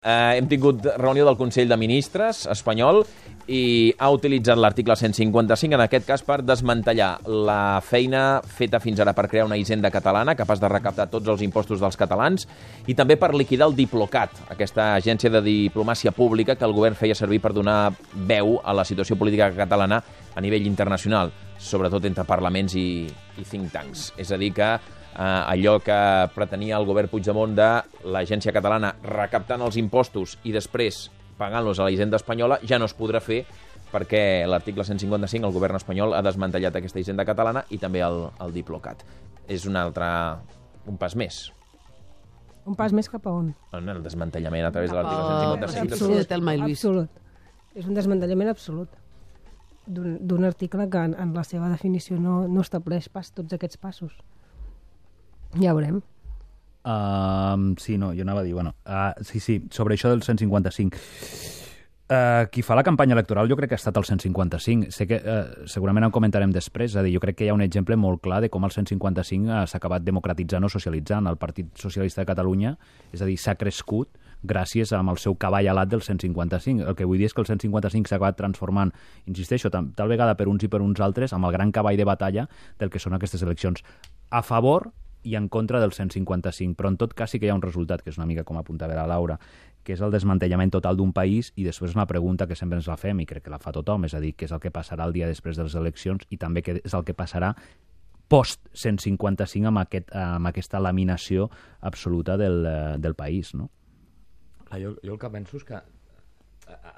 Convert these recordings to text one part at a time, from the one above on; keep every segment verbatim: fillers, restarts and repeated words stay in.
Eh, hem tingut reunió del Consell de Ministres espanyol i ha utilitzat l'article cent cinquanta-cinc, en aquest cas, per desmantellar la feina feta fins ara per crear una hisenda catalana capaç de recaptar tots els impostos dels catalans i també per liquidar el Diplocat, aquesta agència de diplomàcia pública que el govern feia servir per donar veu a la situació política catalana a nivell internacional, sobretot entre parlaments i, i think tanks. És a dir que Uh, allò que pretenia el govern Puigdemont de l'agència catalana recaptant els impostos i després pagant-los a la hisenda espanyola ja no es podrà fer perquè l'article cent cinquanta-cinc, el govern espanyol ha desmantellat aquesta hisenda catalana i també el, el Diplocat. És un altre... un pas més. Un pas més cap a on? El desmantellament a través de l'article cent cinquanta-cinc. Absolut, absolut. És un desmantellament absolut d'un article que en, en la seva definició no, no estableix pas tots aquests passos. Ja veurem. Uh, sí, no, jo anava a dir, bueno, uh, sí, sí, sobre això del cent cinquanta-cinc. Uh, qui fa la campanya electoral jo crec que ha estat el cent cinquanta-cinc. Sé que uh, segurament en comentarem després, és a dir, jo crec que hi ha un exemple molt clar de com el cent cinquanta-cinc uh, s'ha acabat democratitzant o socialitzant. El Partit Socialista de Catalunya, és a dir, s'ha crescut gràcies amb el seu cavall alat del cent cinquanta-cinc. El que vull dir és que el cent cinquanta-cinc s'ha acabat transformant, insisteixo, tal, tal vegada per uns i per uns altres, amb el gran cavall de batalla del que són aquestes eleccions. A favor i en contra del cent cinquanta-cinc, però en tot cas sí que hi ha un resultat, que és una mica com apuntava la Laura, que és el desmantellament total d'un país, i després una pregunta que sempre ens la fem, i crec que la fa tothom, és a dir, què és el que passarà el dia després de les eleccions i també què és el que passarà post cent cinquanta-cinc amb, aquest, amb aquesta laminació absoluta del, del país, no? Jo, jo el que penso és que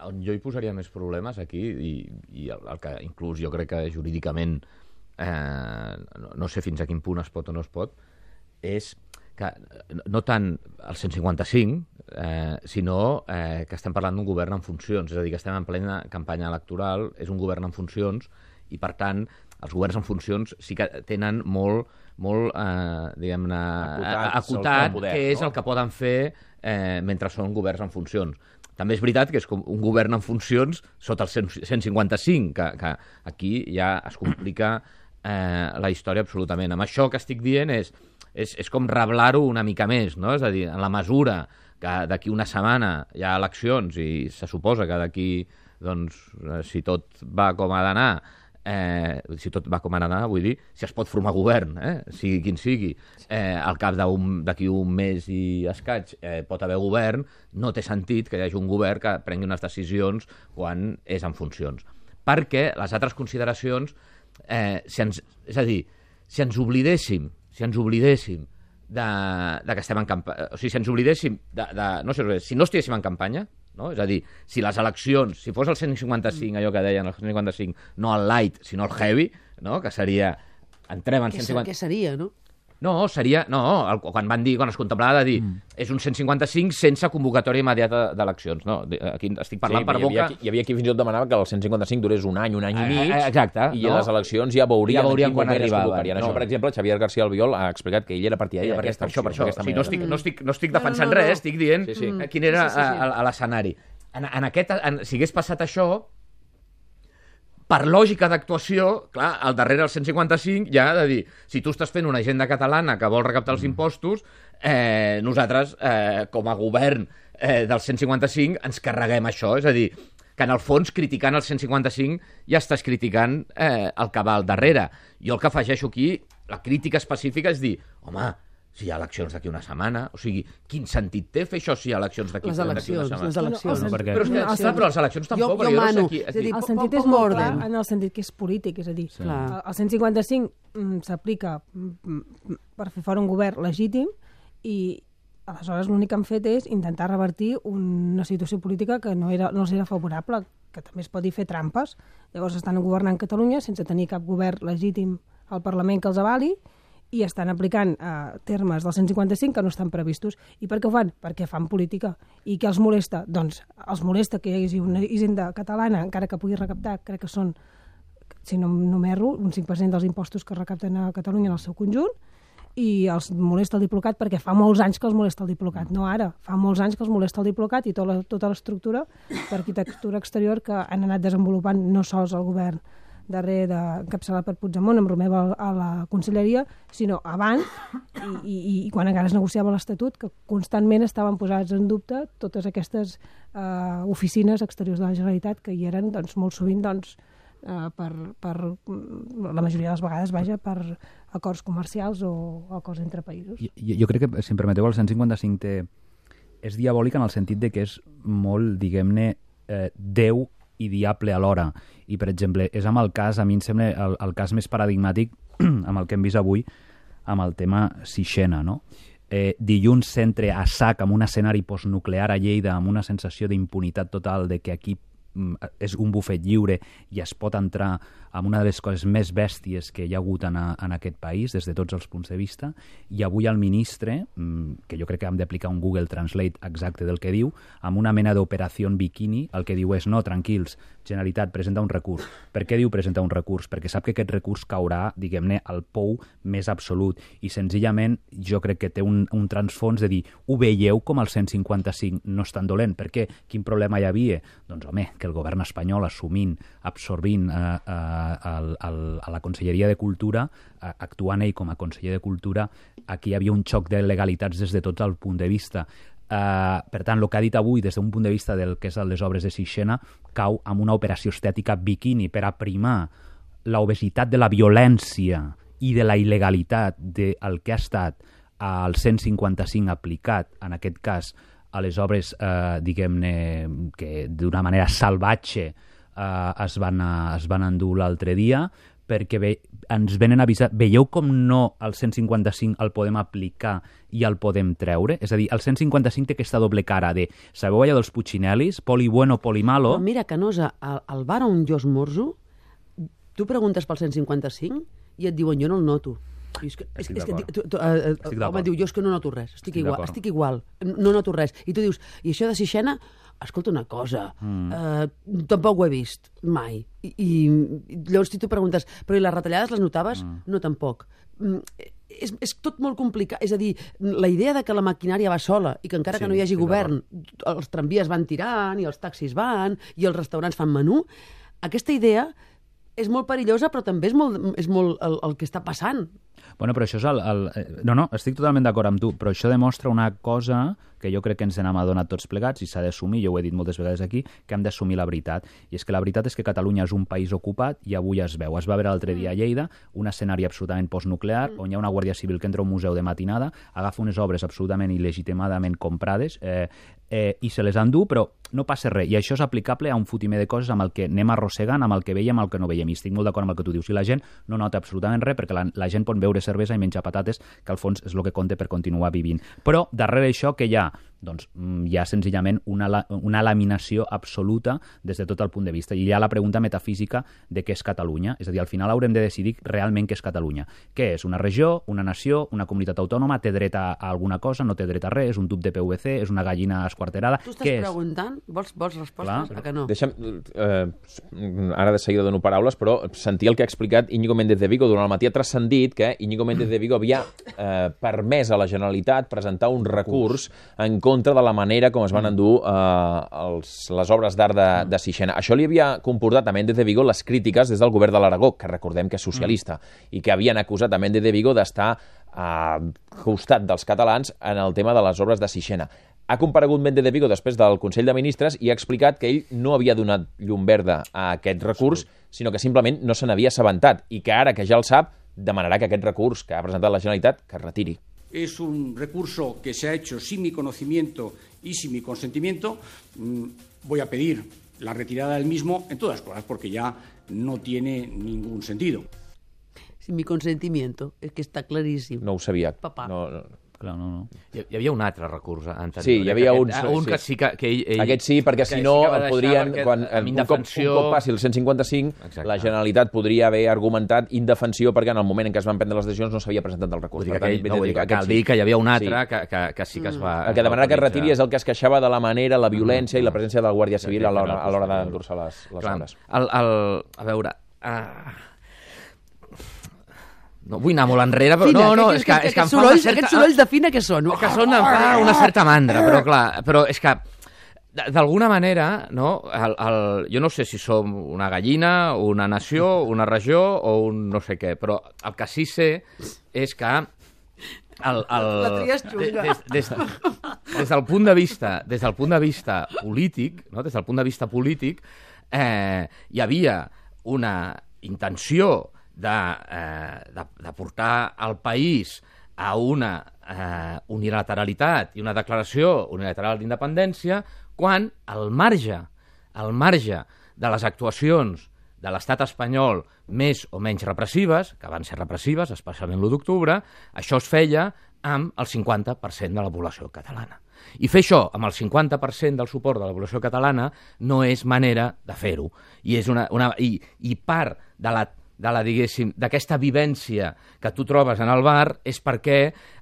on jo hi posaria més problemes aquí, i, i el, el que inclús jo crec que jurídicament eh, no, no sé fins a quin punt es pot o no es pot, és que no tant el cent cinquanta-cinc, eh, sinó eh, que estem parlant d'un govern en funcions, és a dir, que estem en plena campanya electoral, és un govern en funcions, i per tant els governs en funcions sí que tenen molt, molt eh, diguem-ne, acotat, acotat poder, què és no? el que poden fer eh, mentre són governs en funcions. També és veritat que és com un govern en funcions sota el cent cinquanta-cinc, que, que aquí ja es complica eh, la història absolutament. Amb això que estic dient és És, és com reblar-ho una mica més, no? És a dir, en la mesura que d'aquí una setmana hi ha eleccions i se suposa que d'aquí, doncs, si tot va com ha d'anar, eh, si tot va com ha d'anar, vull dir, si es pot formar govern, eh, sigui quin sigui, eh, al cap d'aquí un, un mes i escaig eh, pot haver govern, no té sentit que hi hagi un govern que prengui unes decisions quan és en funcions. Perquè les altres consideracions, eh, si ens, és a dir, si ens oblidéssim si ens oblidéssim de, de que estem en campanya, o sigui, si ens oblidéssim de, de no sé, si no estiguéssim en campanya, no? És a dir, si les eleccions, si fos el cent cinquanta-cinc, allò que deien el cent cinquanta-cinc, no el light, sinó el heavy, no? Que seria, entrem en cent cinquanta... Què seria, no? No, seria... No, el, quan van dir, quan es contemplava de dir mm. és un cent cinquanta-cinc sense convocatòria immediata d'eleccions. No, aquí estic parlant sí, per boca... Hi havia qui fins i tot demanava que el cent cinquanta-cinc durés un any, un any i mig, eh, exacte, i no? les eleccions ja veurien, ja veurien quan arribaven. No. Això, per exemple, Xavier García Albiol ha explicat que ell era partidari d'aquesta opció. Per això, per això. Sí, no, estic, no, estic, no estic defensant no, no, no. res, estic dient sí, sí. quin era sí, sí, sí. l'escenari. En, en aquest, en, si hagués passat això, per lògica d'actuació, clar, al darrere del cent cinquanta-cinc ja ha de dir, si tu estàs fent una agenda catalana que vol recaptar els impostos, eh, nosaltres, eh, com a govern eh, del cent cinquanta-cinc, ens carreguem això. És a dir, que en el fons, criticant el cent cinquanta-cinc, ja estàs criticant eh, el que va al darrere. Jo el que afegeixo aquí, la crítica específica, és dir, home, si hi ha eleccions d'aquí una setmana, o sigui, quin sentit té fer això si hi ha eleccions d'aquí una setmana? Les eleccions, les eleccions. No, no, perquè... Però, és que, no, clar, però les eleccions tampoc... Jo, jo mano. No sé aquí, el sentit és molt clar en el sentit que és polític, és a dir, sí. el cent cinquanta-cinc mm, s'aplica mm, per fer fora un govern legítim i aleshores l'únic que han fet és intentar revertir una situació política que no, era, no els era favorable, que també es pot dir fer trampes. Llavors estan governant Catalunya sense tenir cap govern legítim al Parlament que els avali i estan aplicant eh, termes del cent cinquanta-cinc que no estan previstos. I per què ho fan? Perquè fan política. I què els molesta? Doncs els molesta que hi hagi una hisenda catalana, encara que pugui recaptar, crec que són, si no, no m'erro, un cinc per cent dels impostos que recapten a Catalunya en el seu conjunt, i els molesta el Diplocat perquè fa molts anys que els molesta el Diplocat, no ara, fa molts anys que els molesta el Diplocat i tota la, tota l'estructura d'arquitectura exterior que han anat desenvolupant no sols el govern darrere d'encapçalat per Puigdemont, amb Romeva a la conselleria, sinó abans, i, i, i quan encara es negociava l'Estatut, que constantment estaven posades en dubte totes aquestes uh, oficines exteriors de la Generalitat, que hi eren doncs, molt sovint doncs, uh, per, per, la majoria de les vegades, vaja, per acords comercials o acords entre països. Jo, jo crec que, si em permeteu, el cent cinquanta-cinc té... és diabòlic en el sentit de que és molt, diguem-ne, eh, Déu i diable alhora. I, per exemple, és amb el cas, a mi em sembla, el, el cas més paradigmàtic amb el que hem vist avui, amb el tema Sixena, no? Eh, dilluns s'entra a sac amb un escenari postnuclear a Lleida, amb una sensació d'impunitat total de que aquí és un bufet lliure i es pot entrar amb una de les coses més bèsties que hi ha hagut en, a, en aquest país des de tots els punts de vista, i avui el ministre, que jo crec que hem d'aplicar un Google Translate exacte del que diu, amb una mena d'operació bikini, el que diu és no, tranquils, Generalitat, presenta un recurs. Per què diu presenta un recurs? Perquè sap que aquest recurs caurà, diguem-ne, al pou més absolut, i senzillament jo crec que té un, un transfons de dir, ho veieu com el cent cinquanta-cinc no és tan dolent? Per què? Quin problema hi havia? Doncs home, que el govern espanyol assumint, absorbint eh, eh, el, el, a la Conselleria de Cultura, eh, actuant ell com a conseller de Cultura, aquí hi havia un xoc de legalitats des de tot el punt de vista. Uh, per tant, el que ha dit avui des d'un punt de vista del que és les obres de Sixena cau amb una operació estètica bikini per aprimar l'obesitat de la violència i de la il·legalitat del que ha estat el cent cinquanta-cinc aplicat, en aquest cas, a les obres, eh, diguem-ne, que d'una manera salvatge eh, es, van a, es van endur l'altre dia, perquè ve, ens venen a avisar, veieu com no el cent cinquanta-cinc el podem aplicar i el podem treure? És a dir, el cent cinquanta-cinc té aquesta doble cara de, sabeu allò dels Puccinellis, poli bueno, poli malo? Però mira, Canosa, al, al bar on jo esmorzo, tu preguntes pel cent cinquanta-cinc i et diuen, jo no el noto. I és que, és, és que, tu, tu, uh, home, diu, jo és que no noto res, estic, estic igual, estic igual, no noto res. I tu dius, i això de Sixena, escolta una cosa, mm. uh, tampoc ho he vist mai. I, i llavors si tu preguntes, però i les retallades les notaves? Mm. No, tampoc. Mm, és, és tot molt complicat. És a dir, la idea de que la maquinària va sola i que encara sí, que no hi hagi govern, els tramvies van tirant i els taxis van i els restaurants fan menú, aquesta idea és molt perillosa, però també és molt, és molt el, el que està passant. Bueno, però això és el, el... No, no, estic totalment d'acord amb tu, però això demostra una cosa que jo crec que ens n'hem adonat tots plegats i s'ha d'assumir, jo ho he dit moltes vegades aquí, que hem d'assumir la veritat. I és que la veritat és que Catalunya és un país ocupat i avui es veu. Es va veure l'altre dia a Lleida un escenari absolutament postnuclear mm. on hi ha una Guàrdia Civil que entra a un museu de matinada, agafa unes obres absolutament il·legitimadament comprades eh, eh, i se les endú, però no passa res. I això és aplicable a un fotimer de coses amb el que anem arrossegant, amb el que veiem, amb el que no veiem. I estic molt d'acord amb el que tu dius. I la gent no nota absolutament res perquè la, la gent pot beure cervesa i menjar patates, que al fons és el que compta per continuar vivint. Però darrere això que hi ha? Doncs hi ha senzillament una, una laminació absoluta des de tot el punt de vista. I hi ha la pregunta metafísica de què és Catalunya. És a dir, al final haurem de decidir realment què és Catalunya. Què és? Una regió, una nació, una comunitat autònoma, té dret a alguna cosa, no té dret a res, és un tub de P V C, és una gallina esquarterada. Tu estàs preguntant? Vols, vols respostes? Clar. A que no? Deixa'm, eh, ara de seguida dono paraules, però sentir el que ha explicat Íñigo Méndez de Vigo durant el matí ha transcendit que Íñigo Méndez de Vigo havia eh, permès a la Generalitat presentar un recurs en contra de la manera com es van endur eh, els, les obres d'art de, de Sixena. Això li havia comportat a Méndez de Vigo les crítiques des del govern de l'Aragó, que recordem que és socialista, mm. i que havien acusat a Méndez de Vigo d'estar al costat dels catalans en el tema de les obres de Sixena. Ha comparegut Méndez de Vigo després del Consell de Ministres i ha explicat que ell no havia donat llum verda a aquest recurs, sinó que simplement no se n'havia assabentat i que ara que ja el sap, demanarà que aquest recurs que ha presentat la Generalitat que es retiri. Es un recurso que se ha hecho sin mi conocimiento y sin mi consentimiento. Voy a pedir la retirada del mismo, en todas cosas, porque ya no tiene ningún sentido. Sin mi consentimiento, es que está clarísimo. No ho sabia. Papà. No, no. Clar, no, no. Hi, hi havia un altre recurs anterior. Sí, hi havia un... Aquest, un que sí que, que ell, ell... Aquest sí, perquè si no sí podrien... Quan, un, indefensió... cop, un cop passi el cent cinquanta-cinc, exacte, la Generalitat podria haver argumentat indefensió perquè en el moment en què es van prendre les decisions no s'havia presentat el recurs. Per tant, ell, no, dir, que, cal sí. dir que hi havia un altre sí. que, que, que sí que es va... El que demanarà que es retiri és el que es queixava de la manera, la violència mm, i la presència de la Guàrdia Civil a l'hora d'endur-se les, les obres. El, el, a veure... Uh... No vull anar molt enrere, però Fina, no, no, que, és que, que, és que em fa sorolls, una certa... Aquests sorolls de Fina que són? Que són, em fa una certa mandra, però clar, però és que d'alguna manera, no, el, el, jo no sé si som una gallina, una nació, una regió o un no sé què, però el que sí sé és que el, el, la tria és xunga. Des, des, des, del punt de vista, des del punt de vista polític, no, des del punt de vista polític, eh, hi havia una intenció de, eh, de, de portar el país a una eh, unilateralitat i una declaració unilateral d'independència, quan al marge, al marge de les actuacions de l'estat espanyol més o menys repressives, que van ser repressives, especialment l'u d'octubre, això es feia amb el cinquanta per cent de la població catalana. I fer això amb el cinquanta per cent del suport de la població catalana no és manera de fer-ho. I, és una, una, i, i part de la de la, diguéssim, d'aquesta vivència que tu trobes en el bar és perquè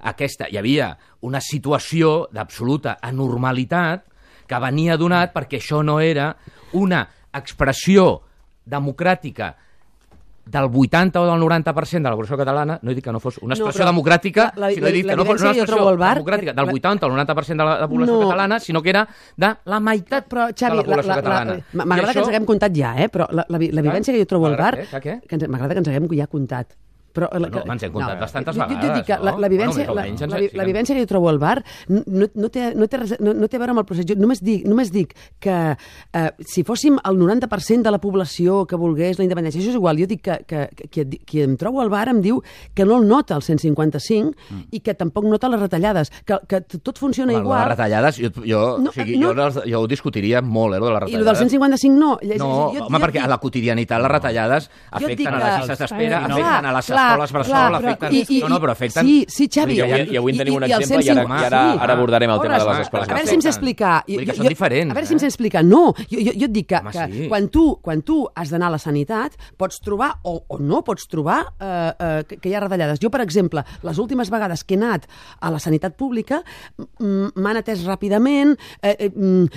aquesta, hi havia una situació d'absoluta anormalitat que venia donat perquè això no era una expressió democràtica del vuitanta o del noranta per cent de la població catalana, no he dit que no fos una expressió no, democràtica, la, la, sinó he dit que no fos una expressió democràtica del vuitanta o el noranta per cent de la, de la població no. catalana, sinó que era de la meitat però, Xavi, de la població la, la, catalana. M'agrada això... que ens haguem comptat ja, eh? Però la, la, la vivència que jo trobo al bar, m'agrada que ens haguem ja comptat. Però, no, no, ens hem comptat no, bastantes jo, vegades, jo dic que no? La, la, vivència, bueno, la, la, la, la vivència que jo trobo al bar no, no, té, no, té res, no, no té a veure amb el procés. Jo només dic, només dic que eh, si fóssim el noranta per cent de la població que volgués la independència, això és igual. Jo dic que, que, que qui, qui em trobo al bar em diu que no el nota el cent cinquanta-cinc mm. i que tampoc nota les retallades, que, que tot funciona bueno, igual. Les retallades, jo, jo, no, o sigui, no, jo, jo ho discutiria molt, eh, de les retallades. I el del cent cinquanta-cinc no. No, jo, home, jo, perquè a la quotidianitat les retallades afecten a les llistes d'espera, afecten a les escoles bressol, afecten... I, i, no, no, però afecten... Sí, sí, Xavi. I avui, i avui en tenim un exemple i, i, ara, i ara, ara abordarem el tema de les escoles. A veure si em sé explicar. Vull dir que són diferents. A veure si em sé explicar. No, jo, jo, jo et dic que, que sí. quan, tu, quan tu has d'anar a la sanitat pots trobar, o, o no pots trobar, eh, eh, que, que hi ha retallades. Jo, per exemple, les últimes vegades que he anat a la sanitat pública m'han atès ràpidament... Eh, eh,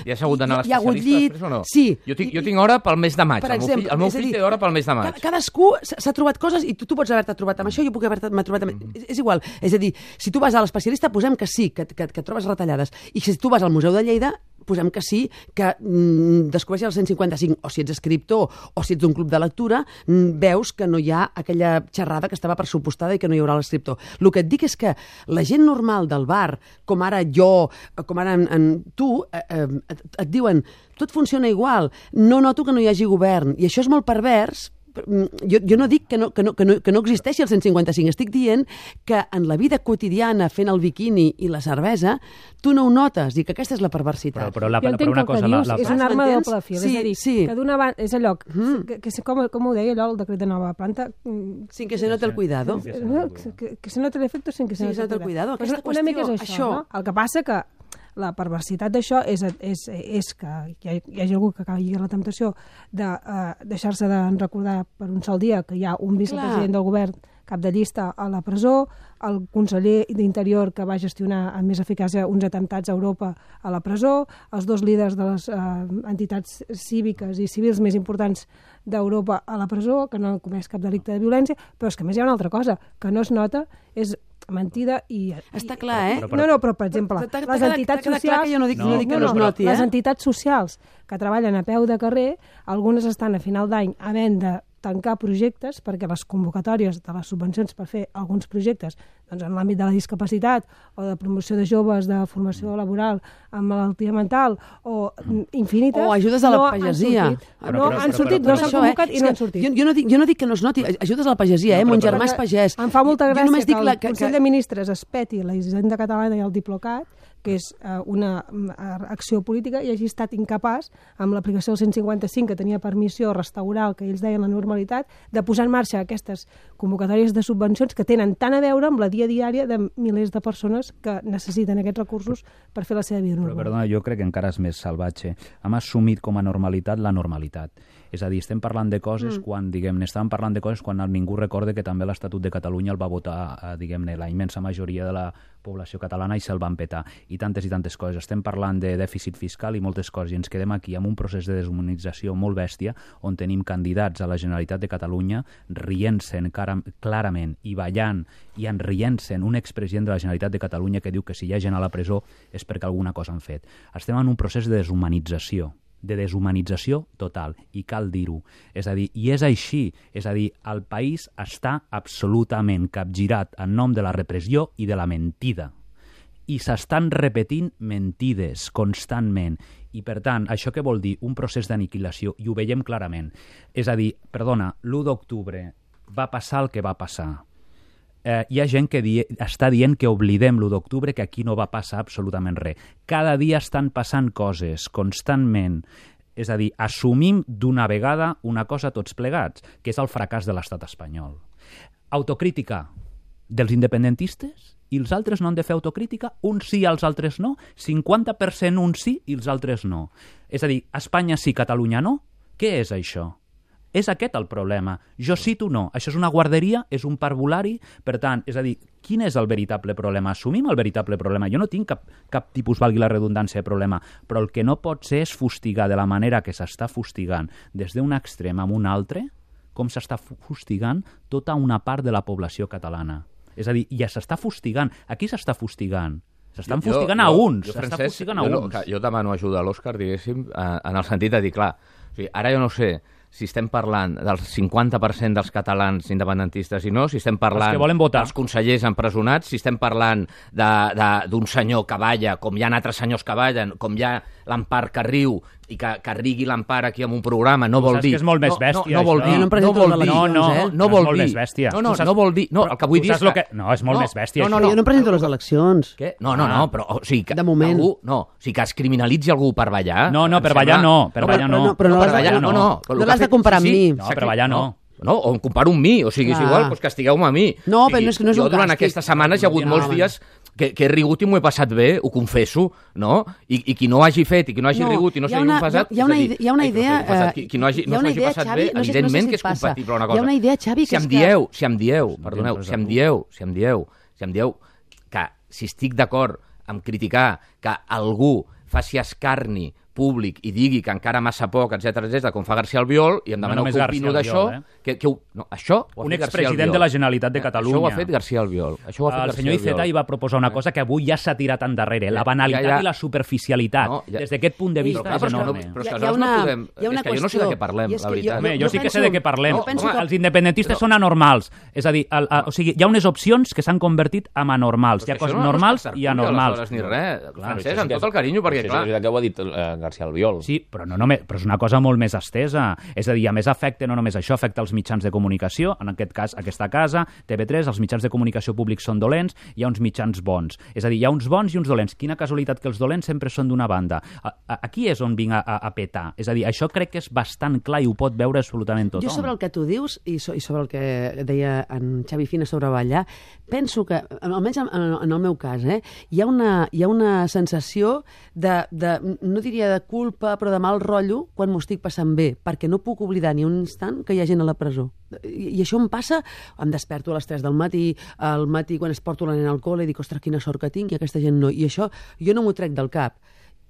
I has hagut d'anar a l'especialista després o no? Sí. Jo tinc, jo tinc hora pel mes de maig. El meu fill, el meu fill té hora pel mes de maig. Cadascú s'ha trobat coses i tu, tu pots haver-te trobat amb això, jo puc haver-te trobat amb... És, és igual. És a dir, si tu vas a l'especialista, posem que sí, que, que, que trobes retallades. I si tu vas al Museu de Lleida, posem que sí, que mm, descobreixes el cent cinquanta-cinc, o si ets escriptor o si ets d'un club de lectura, mm, veus que no hi ha aquella xerrada que estava pressupostada i que no hi haurà l'escriptor. El que et dic és que la gent normal del bar, com ara jo, com ara en, en tu, eh, eh, et, et diuen tot funciona igual, no noto que no hi hagi govern, i això és molt pervers. Jo, jo no dic que no, que, no, que, no, que no existeixi el cent cinquanta-cinc, estic dient que en la vida quotidiana fent el biquini i la cervesa tu no ho notes i que aquesta és la perversitat. Però, però, la, jo entenc però una que cosa, dius la, la... és una arma de doble fil, sí, és a dir, sí. que d'una banda és allò, mm. que, que, com, com ho deia allò, el decret de nova planta... Sin que se note el cuidado. Que, que, que se note l'efecte sin que se sí, note el cuidado. Aquesta una, una mica és això, això. No? El que passa que la perversitat d'això és, és, és que hi, ha, hi hagi algú que acabi la temptació de uh, deixar-se de recordar per un sol dia que hi ha un vicepresident Clar. del govern cap de llista a la presó, el conseller d'Interior que va gestionar amb més eficàcia uns atemptats a Europa a la presó, els dos líders de les uh, entitats cíviques i civils més importants d'Europa a la presó, que no han comès cap delicte de violència, però és que més hi ha una altra cosa, que no es nota, és mentida i... Està clar, eh? Però, però, no, no, però, per exemple, però, les entitats socials... Jo no dic, no, no dic que no, no es noti, eh? Les entitats socials que treballen a peu de carrer, algunes estan a final d'any havent de tancar projectes perquè les convocatòries de les subvencions per fer alguns projectes doncs en l'àmbit de la discapacitat o de promoció de joves, de formació laboral amb malaltia mental o infinites... O ajudes a la pagesia. No, han sortit, no s'han convocat i no han sortit. Jo, jo, no dic, jo no dic que no es noti, ajudes a la pagesia, eh? Mon germà és pagès. Em fa molta gràcia que el la, que, Consell de Ministres es peti la Hisenda Catalana i el Diplocat, que és uh, una uh, acció política, i hagi estat incapaç, amb l'aplicació del cent cinquanta-cinc, que tenia per missió restaurar el que ells deien la normalitat, de posar en marxa aquestes convocatòries de subvencions que tenen tant a veure amb la dia diària de milers de persones que necessiten aquests recursos per fer la seva vida normal. Però, perdona, jo crec que encara és més salvatge. Hem assumit com a normalitat la normalitat. És a dir, estem parlant de coses mm. quan, diguem-ne, estàvem parlant de coses quan ningú recorda que també l'Estatut de Catalunya el va votar, eh, diguem-ne, la immensa majoria de la població catalana i se'l van petar. I tantes i tantes coses. Estem parlant de dèficit fiscal i moltes coses i ens quedem aquí amb un procés de deshumanització molt bèstia on tenim candidats a la Generalitat de Catalunya rient-se'n clarament i ballant i enrient-se'n un expresident de la Generalitat de Catalunya que diu que si hi ha gent a la presó és perquè alguna cosa han fet. Estem en un procés de deshumanització. de deshumanització total, i cal dir-ho. És a dir, i és així, és a dir, el país està absolutament capgirat en nom de la repressió i de la mentida. I s'estan repetint mentides constantment. I, per tant, això què vol dir? Un procés d'aniquilació, i ho veiem clarament. És a dir, perdona, l'u d'octubre va passar el que va passar. Eh, hi ha gent que die, està dient que oblidem l'u d'octubre, que aquí no va passar absolutament res. Cada dia estan passant coses, constantment. És a dir, assumim d'una vegada una cosa tots plegats, que és el fracàs de l'estat espanyol. Autocrítica dels independentistes i els altres no han de fer autocrítica, uns sí, els altres no, cinquanta per cent uns sí i els altres no. És a dir, Espanya sí, Catalunya no? Què és això? És aquest el problema. Jo sí, tu no. Això és una guarderia, és un parvulari. Per tant, és a dir, quin és el veritable problema? Assumim el veritable problema. Jo no tinc cap, cap tipus, valgui la redundància, de problema, però el que no pot ser és fustigar de la manera que s'està fustigant des d'un extrem a un altre, com s'està fustigant tota una part de la població catalana. És a dir, ja s'està fustigant. A qui s'està fustigant? S'estan jo, fustigant jo, a uns. S'està fustigant a jo, uns. Jo demano ajuda a l'Òscar, diguéssim, en el sentit de dir, clar, o sigui, ara jo no sé si estem parlant del cinquanta per cent dels catalans independentistes i no, si estem parlant dels consellers empresonats, si estem parlant d'un senyor que balla, com hi ha altres senyors que ballen, com hi ha l'Empar que riu i que, que rigui l'Empar aquí en un programa, no vol dir... Saps que és molt més bèstia, no, no vol dir, no, no vol dir, no, no, no, no vol dir, no, no, no vol dir, no, el que vull dir és que... No, és molt més bèstia, no, no, jo no presento les eleccions. Què? No, no, no, però, o sigui, que de moment. Algú, no, o sigui, que es criminalitzi algú per ballar... No, no, per ballar no, per ballar no. Però no per ballar no, no. No l'has de comparar amb mi. No, per ballar no. No, o em comparo amb mi, o sigui, és igual, doncs castigueu-me a mi. No, però no és, no és un jo durant càstig. Aquestes setmanes hi ha hagut molts dies que, que he rigut i m'ho he passat bé, ho confesso, no? I, i qui no hagi fet i qui no hagi no, rigut i no s'hagi passat... Hi ha una, hi ha una idea... Ai, qui, qui no hagi, no s'hagi passat Xavi, bé, no sé, evidentment no sé si que és compatible una cosa. Hi ha una idea, Xavi, si que em és dieu, que... Si em dieu, perdoneu, si em dieu, si em dieu, si em dieu que si estic d'acord amb criticar que algú faci escarni públic i digui que encara massa poc, etcètera, etcètera, com fa García Albiol, i em demaneu no que opino d'això... Eh? Que, que, no, això ho ha un fet expresident de la Generalitat de Catalunya. Això ho ha fet García Albiol. Això ho ha fet el García senyor Iceta hi va proposar una cosa que avui ja s'ha tirat endarrere, la banalitat ja, ja. i la superficialitat. No, ja. Des d'aquest punt de vista però, clar, és enorme. Però, però és que no podem... És que jo no sé de què parlem, la veritat. Home, jo sí que sé de què parlem. Els independentistes són anormals. És a dir, o sigui, hi ha unes opcions que s'han convertit en anormals. Hi ha coses normals i anormals. Ni res, Francesc, amb tot el carinyo, perquè clar... És que ho ha dit García Albiol. Sí, però no només, però és una cosa molt més estesa. És a dir, a més afecta no només això, afecta els mitjans de comunicació, en aquest cas aquesta casa, T V tres, els mitjans de comunicació públics són dolents, hi ha uns mitjans bons. És a dir, hi ha uns bons i uns dolents. Quina casualitat que els dolents sempre són d'una banda. A, a, aquí és on vinc a, a, a petar. És a dir, això crec que és bastant clar i ho pot veure absolutament tothom. Jo sobre el que tu dius i, so, i sobre el que deia en Xavi Fina sobre ballar, penso que, almenys en, en el meu cas, eh, hi ha una, hi ha una sensació de, de, no diria de culpa, però de mal rotllo quan m'ho estic passant bé, perquè no puc oblidar ni un instant que hi ha gent a la presó. I, i això em passa, em desperto a les tres del matí, al matí quan es porto la nena al col·le i dic, ostres, quina sort que tinc i aquesta gent no. I això jo no m'ho trec del cap.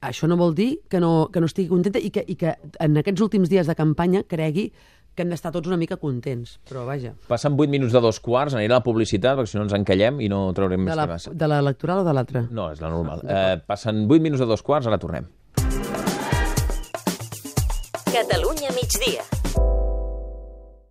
Això no vol dir que no, que no estigui contenta i que, i que en aquests últims dies de campanya cregui que hem d'estar tots una mica contents, però vaja. Passen vuit minuts de dos quarts, anirà a la publicitat, perquè si no ens encallem i no traurem més de la, que massa. De l'electoral o de l'altra? No, és la normal. Eh, passen vuit minuts de dos quarts, ara tornem. Catalunya migdia.